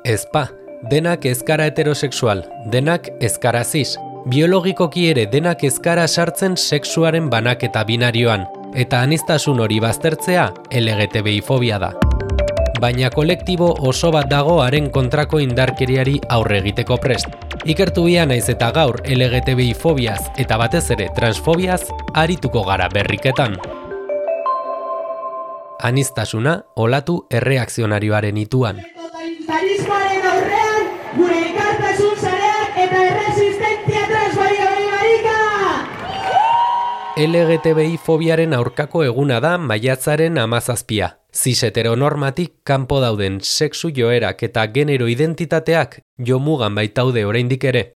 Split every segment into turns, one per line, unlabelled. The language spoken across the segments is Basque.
Ezpa, denak ez gara heterosexual, denak ez gara cis. Biologikoki ere denak ez gara sartzen sexuaren banaketa binarioan, eta aniztasun hori baztertzea LGTBI-fobia da. Baina kolektibo oso bat dago haren kontrako indarkeriari aurre egiteko prest. Ikertu bia naiz eta gaur LGTBI-fobiaz eta batez ere transfobiaz arituko gara berriketan. Aniztasuna olatu erreakzionarioaren ituan.
Totalitarismoaren aurrean, gure elkartasun sareak eta erresistentzia transfobia.
LGTBI-fobiaren aurkako eguna da maiatzaren 17. Cis heteronormatik kanpo dauden sexu joerak eta genero identitateak jomugan baitaude oraindik ere.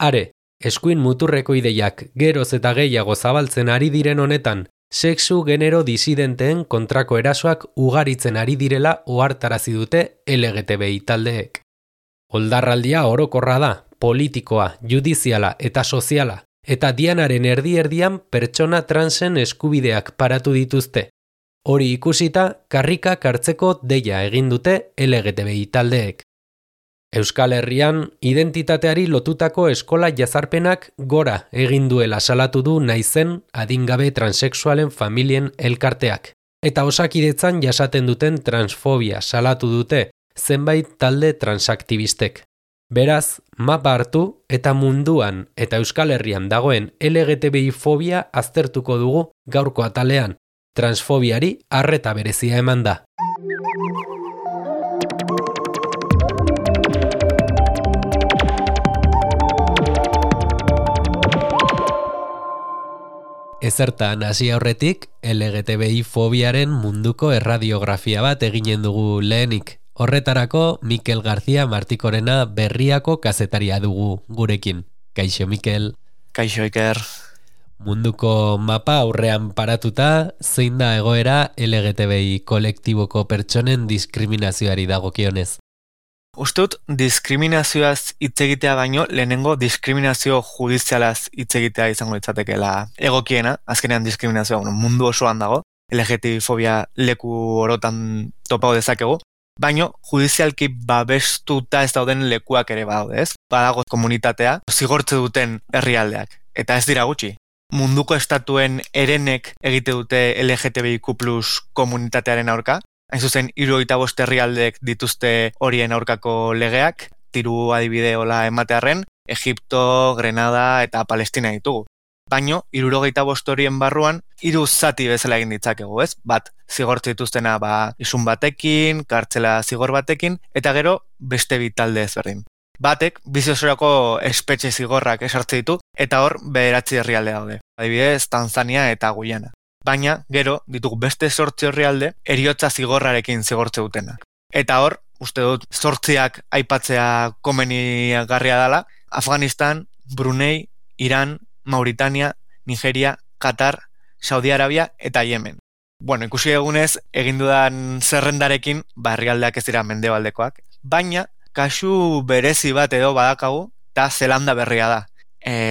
Are, eskuin muturreko ideiak geroz eta gehiago zabaltzen ari diren honetan, sexu genero disidenteen kontrako erasoak ugaritzen ari direla ohartarazi dute LGTBI taldeek. Oldarraldia orokorra da, politikoa, judiziala eta soziala, eta dianaren erdi-erdian pertsona transen eskubideak paratu dituzte. Hori ikusita, karrikak hartzeko deia egin dute LGTBI taldeek. Euskal Herrian, identitateari lotutako eskola jazarpenak gora egin duela salatu du naizen adingabe transexualen familien elkarteak. Eta Osakidetzan jasaten duten transfobia salatu dute zenbait talde transaktibistek. Beraz, mapa hartu eta munduan eta Euskal Herrian dagoen LGTBI-fobia aztertuko dugu gaurko atalean. Transfobiari arreta berezia eman da. Ezertan hasi aurretik, LGTBI-fobiaren munduko erradiografia bat eginen dugu lehenik. Horretarako, Mikel García Martikorena Berriako kazetaria dugu gurekin. Kaixo, Mikel.
Kaixo, Iker.
Munduko mapa aurrean paratuta, zein da egoera LGTBI kolektiboko pertsonen diskriminazioari dagokionez?
Ustut, diskriminazioaz hitz egitea baino, lehenengo diskriminazio judizialaz hitz egitea izango litzatekeela egokiena, azkenean diskriminazioa mundu osoan dago, LGTBI-fobia leku orotan topau dezakegu, baino judizialki babestuta ez dauden lekuak ere badaude, ez? Badago komunitatea zigortze duten herrialdeak, eta ez dira gutxi. Munduko estatuen herenek egite dute LGTBIQ+ komunitatearen aurka, hain zuzen 75 herrialdeek dituzte horien aurkako legeak, tiru adibide hola ematearren, Egipto, Grenada eta Palestina ditugu. Baino, 75 horien barruan, 3 zati bezala egin ditzakegu, ez? Bat, zigortze dituztena isun batekin, kartzela zigor batekin, eta gero beste bi talde ezberdin. Batek, bizi osorako espetxe zigorrak esartze ditu, eta hor 9 herrialde daude. Adibidez, Tanzania eta Guyana. Baina, gero, ditugu beste 8 herrialde, heriotza zigorrarekin zigortze dutenak. Eta hor, uste dut, 8 aipatzea komenigarria dela, Afganistan, Brunei, Iran, Mauritania, Nigeria, Qatar, Saudi Arabia eta Yemen. Bueno, ikusi egunez, egin dudan zerrendarekin, herrialdeak ez dira mendebaldekoak, baina, kasu berezi bat edo badakagu, eta Zelanda berria da.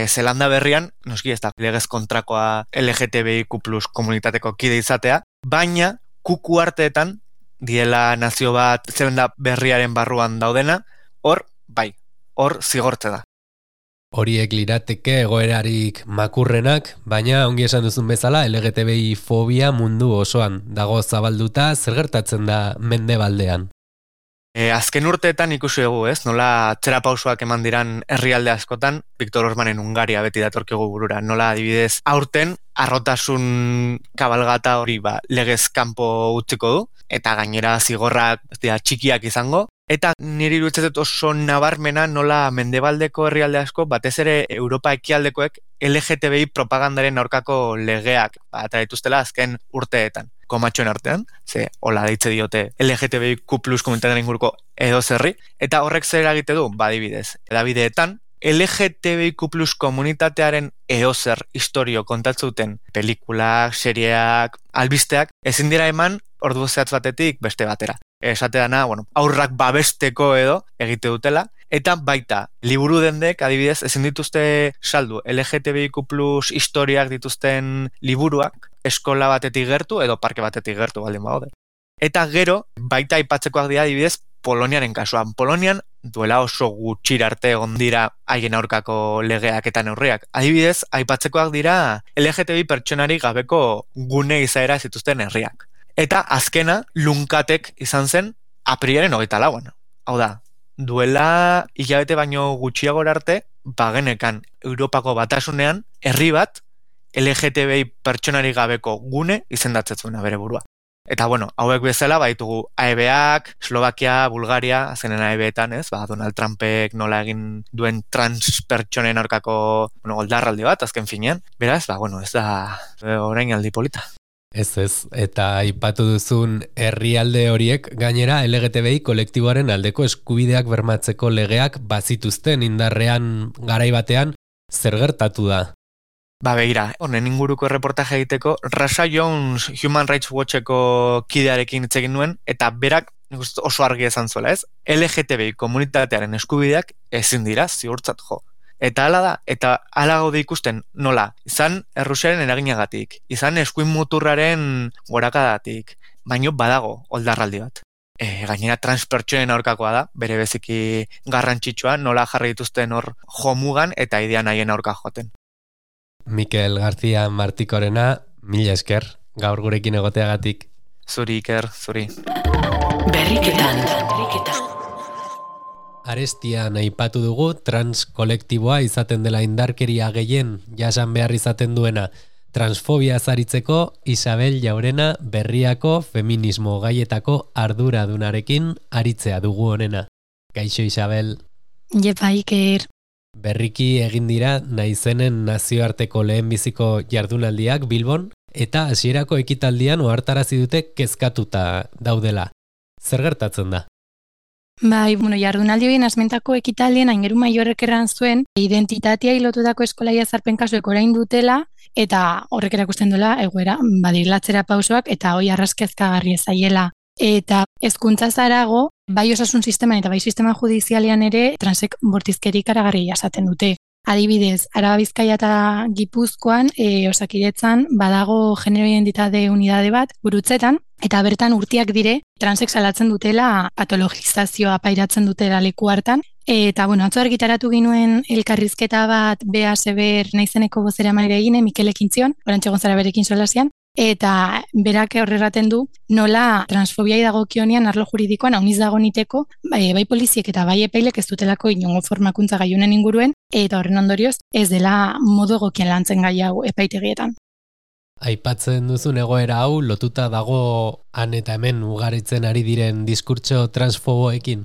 Zelanda berrian, noski ez da legez kontrakoa LGTBIQ+ komunitateko kide izatea, baina kuku arteetan, diela nazio bat Zelanda berriaren barruan daudena, hor zigortze da.
Horiek lirateke egoerarik makurrenak, baina ongi esan duzun bezala LGTBI-fobia mundu osoan dago zabalduta, zer gertatzen da mendebaldean.
Azken urteetan ikusi dugu, ez? Nola txerapausoak eman diran herrialde askotan, Viktor Orbanen Hungaria beti datorkigu burura. Nola adibidez aurten arrotasun kabalgata hori legez kanpo utziko du, eta gainera zigorrak txikiak izango. Eta niri iruditzen oso nabarmena nola mendebaldeko herrialde asko, batez ere Europa ekialdekoek LGTBI propagandaren aurkako legeak eta dituztela azken urteetan. Komatxoen artean, hola deitze diote LGTBIQ+ komunitatearen inguruko edozerri, eta horrek zer egite du, adibidez. Hedabideetan, LGTBIQ+ komunitatearen edozer historio kontatze duten pelikulak, serieak, albisteak, ezin dira eman ordu zehatz batetik beste batera. Esateana, aurrak babesteko edo egite dutela, eta baita, liburu dendek, adibidez, ezin dituzte saldu LGTBIQ+ historiak dituzten liburuak, eskola batetik gertu edo parke batetik gertu baldin badaude. Eta gero, baita aipatzekoak dira adibidez Poloniaren kasuan. Polonian duela oso gutxira arte egon dira haien aurkako legeak eta neurriak. Adibidez, aipatzekoak dira LGTBI pertsonari gabeko gune izaera zituzten herriak. Eta azkena lunkatek izan zen apriaren 24an. Hau da, duela hilabete baino gutxiagora arte, bagenekan Europako batasunean herri bat LGTBI pertsonari gabeko gune izendatzen zuena bere burua. Eta bueno, hauek bezala baitugu AEB-ak, Slovakia, Bulgaria, azkenen AEB-etan, ez? Donald Trumpek nola egin duen trans pertsonen aurkako, oldarraldi bat, azken finean. Beraz, ez da orain aldi polita.
Ez, eta aipatu duzun herrialde horiek gainera LGTBI kolektiboaren aldeko eskubideak bermatzeko legeak bazituzten indarrean garai batean, zer gertatu da?
Begira, honen inguruko reportaje egiteko, Rasha Jones Human Rights Watcheko kidearekin hitz egin nuen, eta berak oso argi esan zuela, ez? LGTBI komunitatearen eskubideak ezin dira ziurtzat jo. Eta hala da, eta hala gaude ikusten nola, izan Errusiaren eraginagatik, izan eskuin muturraren gorakadatik, baino badago oldarraldi bat. Gainera transpertsonen aurkakoa da, bere beziki garrantzitsua, nola jarri dituzten hor jomugan eta idean haien aurka joten.
Mikel García Martikorena, mila esker, gaur gurekin egoteagatik.
Zuri, Iker, zuri.
Berriketan.
Arestian aipatu dugu trans kolektiboa izaten dela indarkeria gehien jasan behar izaten duena. Transfobia zaritzeko Isabel Jaurena Berriako feminismo gaietako arduradunarekin aritzea dugu honena. Kaixo Isabel.
Jepa Iker.
Berriki egin dira naizenen nazioarteko lehenbiziko jardunaldiak Bilbon eta hasierako ekitaldian ohartarazi dute kezkatuta daudela. Zer gertatzen da?
Jardunaldi horien asmentako ekitaldien Aingeru Maiorrek erran zuen identitatea lotutako eskolaia zarpen kasuek orain dutela eta horrek erakusten duela egoera badilatzera pausoak eta hoi arraskezkagarri ezaiela. Eta hezkuntza zarago, bai osasun sisteman eta bai sistema judizialean ere transek bortizkerik aragarri jasaten dute. Adibidez, Araba Bizkaia eta Gipuzkoan Osakidetzan badago genero identitate unidade bat Gurutzetan eta bertan urtiak dire transek salatzen dutela patologizazioa pairatzen dutela leku hartan. Eta atzo argitaratu ginuen elkarrizketa bat Bea Seber naizeneko bozeramaile egine Mikel Ekintzion, Orantxe Gonzara berekin solasean. Eta berak horreraten du nola transfobiai dagokionean arlo juridikoan hauniz dago niteko, bai poliziek eta bai epailek ez dutelako inongo formakuntza gaiunen inguruen, eta horren ondorioz ez dela modu egokien lantzen gai hau epaitegietan.
Aipatzen duzun egoera hau lotuta dago han eta hemen ugaritzen ari diren diskurtso transfoboekin?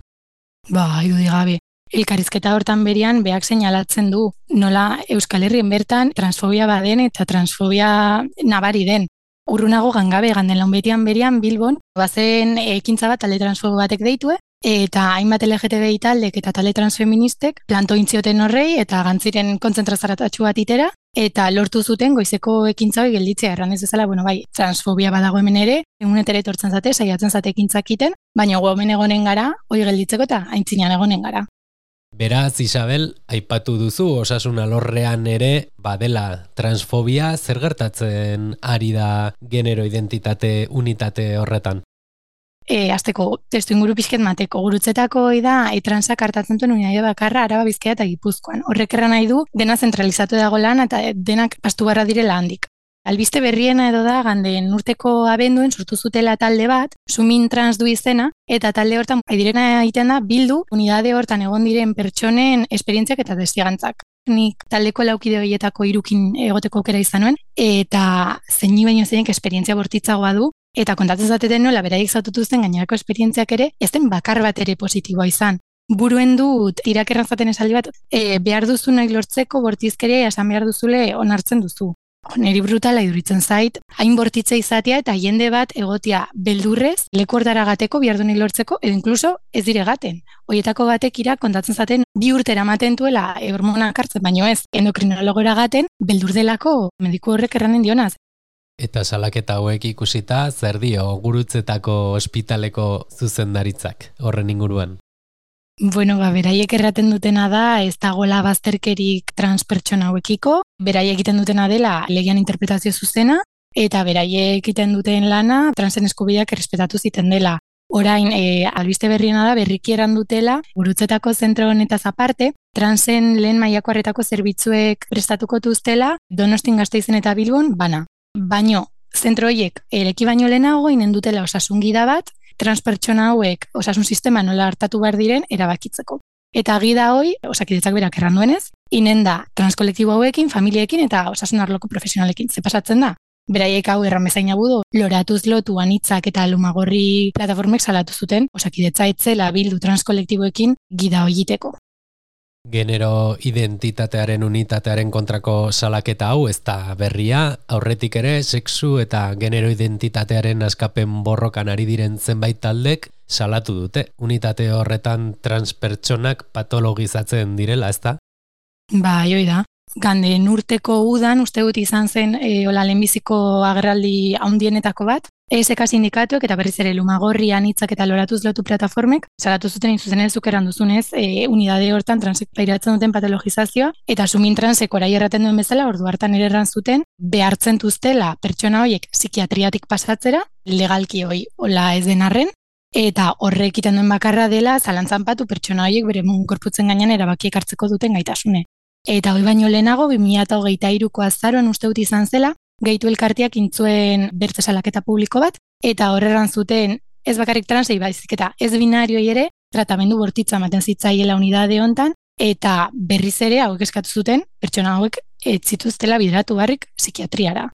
Irudigabe. Elkarrizketa hortan berian beak seinalatzen du nola Euskal Herrien bertan transfobia baden eta transfobia nabari den. Urrunago gangabe ganden launbetian berian Bilbon, bazen ekintza bat talde transfobo batek deitue, eta hainbat LGTBI taldek eta talde transfeministek planto intzioten horrei eta gantziren kontzentrazaratatxu bat itera, eta lortu zuten goizeko ekintza hori gelditzea erran ez bezala, transfobia badago hemen ere, egunetere etortzen zate, saiatzen zate ekintzak iten, baina gu hemen egonen gara, hori gelditzeko eta aintzinean egonen gara.
Beraz, Isabel, aipatu duzu osasun alorrean ere badela transfobia, zer gertatzen ari da genero identitate unitate horretan?
Azteko, testu inguru pixket mateko, Gurutzetako da transak hartatzen duen unidade bakarra Araba Bizkaia eta Gipuzkoan. Horrek erran nahi du dena zentralizatu dago lan eta denak pastu barra direla handik. Albiste berriena edo da ganden urteko abenduen sortu zutela talde bat, Sumin Trans du izena, eta talde hortan direna egiten da bildu unidade hortan egon diren pertsonen esperientziak eta testigantzak. Nik taldeko laukide horietako 3 egoteko aukera izan nuen, eta zeini baino zeinek esperientzia bortitzagoa du, eta kontatzen zateten nola beraiek zaututuzten gainerako esperientziak ere, ez den bakar bat ere positiboa izan. Buruen dut irakerran zaten esaldi bat, behar duzu nahi lortzeko bortizkeria esan behar duzule onartzen duzu. Neri brutala iduritzen zait, hain bortitza izatea eta jende bat egotia beldurrez, leku hortara gateko, behar duenik lortzeko, edo inkluso ez dire gaten. Hoietako batek kontatzen zaten 2 urtera ematen duela hormonak hartzen, baino ez, endokrinologora gaten, beldur delako mediku horrek erranen dionaz.
Eta salaketa hauek ikusita, zer dio Gurutzetako ospitaleko zuzendaritzak horren inguruan?
Beraiek erraten dutena da ez dagoela bazterkerik transpertsona hauekiko, beraiek egiten dutena dela legean interpretazio zuzena, eta beraiek egiten duten lana transen eskubideak errespetatu ziten dela. Orain, albiste berriena da, berriki erandutela, Gurutzetako zentro honetaz aparte, transen lehen mailako arretako zerbitzuek prestatuko tuztela, Donostin, Gasteizen eta Bilbon, bana. Baino, zentro horiek ereki baino lehenago inen dutela osasun gida bat, transpertsona hauek osasun sistema nola hartatu behar diren erabakitzeko. Eta gida hoi, Osakidetzak berak erran duenez, inen da transkolektibo hauekin, familiekin eta osasun arloko profesionalekin. Ze pasatzen da? Beraiek hau erran bezain abudu, loratuz lotu anitzak eta Lumagorri plataformek salatu zuten, Osakidetza etzela bildu transkolektiboekin gida hoiiteko.
Genero identitatearen unitatearen kontrako salaketa hau ez da berria, aurretik ere sexu eta genero identitatearen askapen borrokan ari diren zenbait taldek salatu dute. Unitate horretan transpertsonak patologizatzen direla, ez da?
Ba, joi da. Ganden urteko udan, uste dut izan zen lehenbiziko agerraldi handienetako bat, ESK sindikatuek eta berriz ere Lumagorri anitzak eta loratuz lotu plataformek salatu zuten zuzenez zukeran duzunez unidade hortan transek pairatzen duten patologizazioa eta sumin transek orai erraten duen bezala ordu hartan ere erran zuten behartzen duztela pertsona horiek psikiatriatik pasatzera, legalki hoi hola ez den arren, eta horrek iten duen bakarra dela zalantzan patu pertsona horiek bere gorputzen gainean erabakiek hartzeko duten gaitasune. Eta hoi baino lehenago, 2023ko azaroan uste dut izan zela, Gehitu elkarteak intzuen bertze salaketa publiko bat, eta horreran zuten ez bakarrik transei baizik eta ez binarioi ere tratamendu bortitza ematen zitzaiela unidade hontan, eta berriz ere hauek eskatu zuten pertsona hauek ez zituztela bideratu barrik psikiatriara.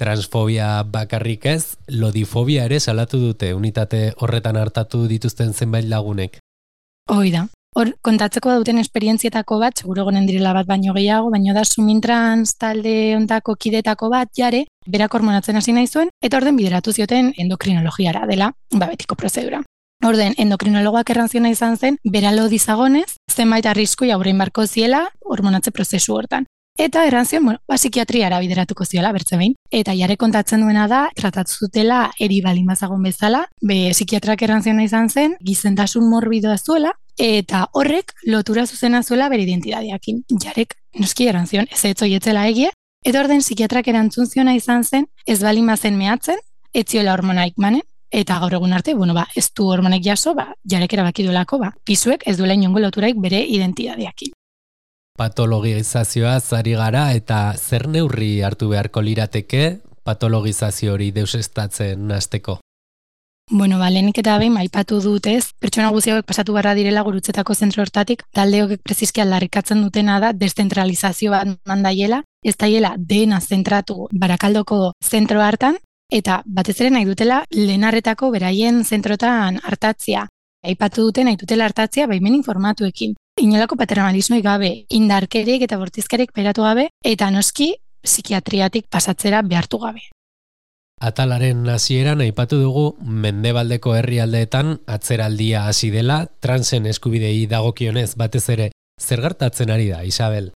Transfobia bakarrik ez, lodifobia ere salatu dute unitate horretan hartatu dituzten zenbait lagunek.
Hoi da. Hor, kontatzeko duten esperientzietako bat, seguro gonen direla bat baino gehiago, baino da sumintrans talde ontako kidetako bat jare, berak hormonatzen hasi nahi zuen, eta orden bideratu zioten endokrinologiara dela, betiko prozedura. Orden, endokrinologoak erranziona izan zen, beralo dizagonez, zenbait arriskoi aurrein barko ziela hormonatze prozesu hortan. Eta errantzion, psikiatriara bideratuko ziola, bertze behin. Eta jare kontatzen duena da, tratatu zutela eri balin bazagon bezala, psikiatrak errantziona izan zen, gizentasun morbidoa zuela, eta horrek lotura zuzena zuela bere identidadeakin. Jarek, noski errantzion, ez etzoietzela egie, eta orden psikiatrak erantzun ziona izan zen, ez balin bazen mehatzen, ez ziola hormonaik manen, eta gaur egun arte, ez du hormonek jaso, jarek erabaki duelako, pisuek ez duela inongo loturaik bere identidadeakin.
Patologizazioa zari gara eta zer neurri hartu beharko lirateke patologizazio hori deusestatzen hasteko?
Lehenik eta behin aipatu dut ez, pertsona guzti hauek pasatu barra direla Gurutzetako zentro hortatik, talde hauek prezizki aldarrikatzen dutena da deszentralizazio bat mandaiela, ez daiela dena zentratu Barakaldoko zentro hartan, eta batez ere nahi dutela lehenarretako beraien zentrotan hartatzia. Aipatu duten nahi dutela hartatzia baimen informatuekin. Inolako paternalismoi gabe, indarkerik eta bortizkerik peratu gabe, eta noski psikiatriatik pasatzera behartu gabe.
Atalaren hasieran aipatu dugu mendebaldeko herrialdeetan atzeraldia hasi dela, transen eskubidei dagokionez batez ere zer gertatzen ari da, Isabel?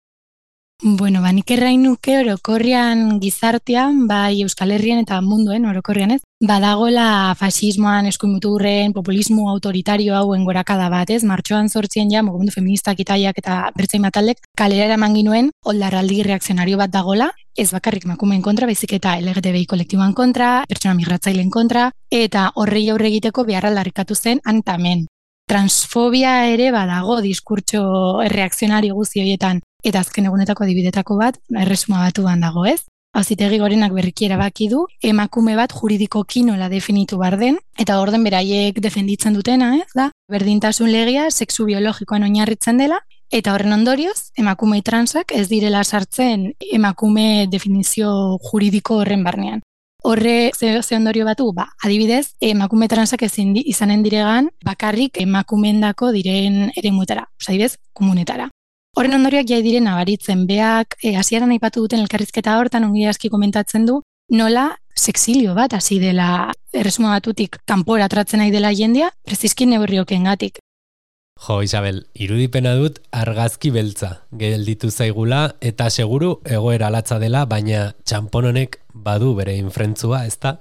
Nik errain nuke orokorrian gizartean, bai Euskal Herrian eta munduen orokorrian ez, badagoela fasismoan, eskuimuturren, populismo autoritario hauen gorakada bat ez, martxoan 8 mugimendu feministak itaiak eta bertzein bataldek kalera eraman ginuen oldarraldi reakzionario bat dagola, ez bakarrik emakumeen kontra, baizik eta LGTBI kolektiboan kontra, pertsona migratzaileen kontra, eta horrei aurre egiteko beharra aldarrikatu zen hantamen. Transfobia ere badago diskurtso reakzionario guzti horietan, eta azken egunetako adibidetako bat, erresuma batuan dago ez. Auzitegi Gorenak berriki erabaki du, emakume bat juridikoki nola definitu behar den, eta orden beraiek defenditzen dutena, ez da? Berdintasun legea sexu biologikoan oinarritzen dela, eta horren ondorioz, emakume transak ez direla sartzen emakume definizio juridiko horren barnean. Horre ze ondorio batu, adibidez, emakume transak ezin izanen diregan bakarrik emakumeendako diren eremuetara, adibidez, komunetara. Horren ondorioak jai diren nabaritzen beak, hasieran aipatu duten elkarrizketa hortan ongi aski komentatzen du, nola sexilio bat hasi dela erresuma batutik kanpora atratzen nahi dela jendea, prezizki neurriokengatik.
Jo, Isabel, irudipena dut argazki beltza, gelditu zaigula eta seguru egoera latza dela, baina txanpon honek badu bere infrentzua, ezta?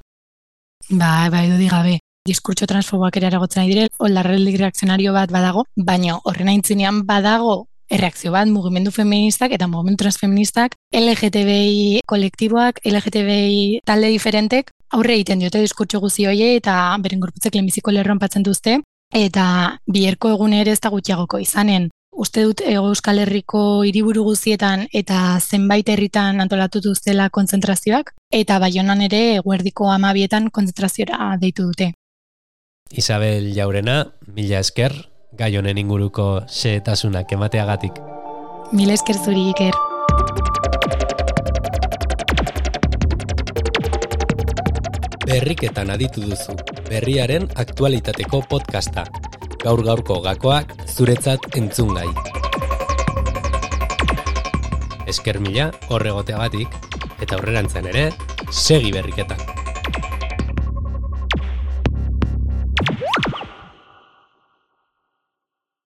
Bai, du digabe. Diskurtso transfoboak ere aragotzen nahi dire, oldarreldik reakzionario bat badago, baina horren aintzinean badago erreakzio bat mugimendu feministak eta mugimendu transfeministak, LGTBI kolektiboak, LGTBI talde diferentek, aurre egiten diote diskurtso guzi hoie eta beren gorputzek lehenbiziko lerroan patzen duzte, eta biherko egun ere ez da gutxiagoko izanen. Uste dut Euskal Herriko hiriburu guztietan eta zenbait herritan antolatu duztela kontzentrazioak, eta Baionan ere eguerdiko 12etan kontzentraziora deitu dute.
Isabel Jaurena, mila esker, gai honen inguruko xehetasunak emateagatik.
Mila esker zuri, Iker.
Berriketan aditu duzu, berriaren aktualitateko podcasta. Gaur-gaurko gakoak zuretzat entzungai. Esker mila horregoteagatik, eta aurrerantzean ere, segi berriketan.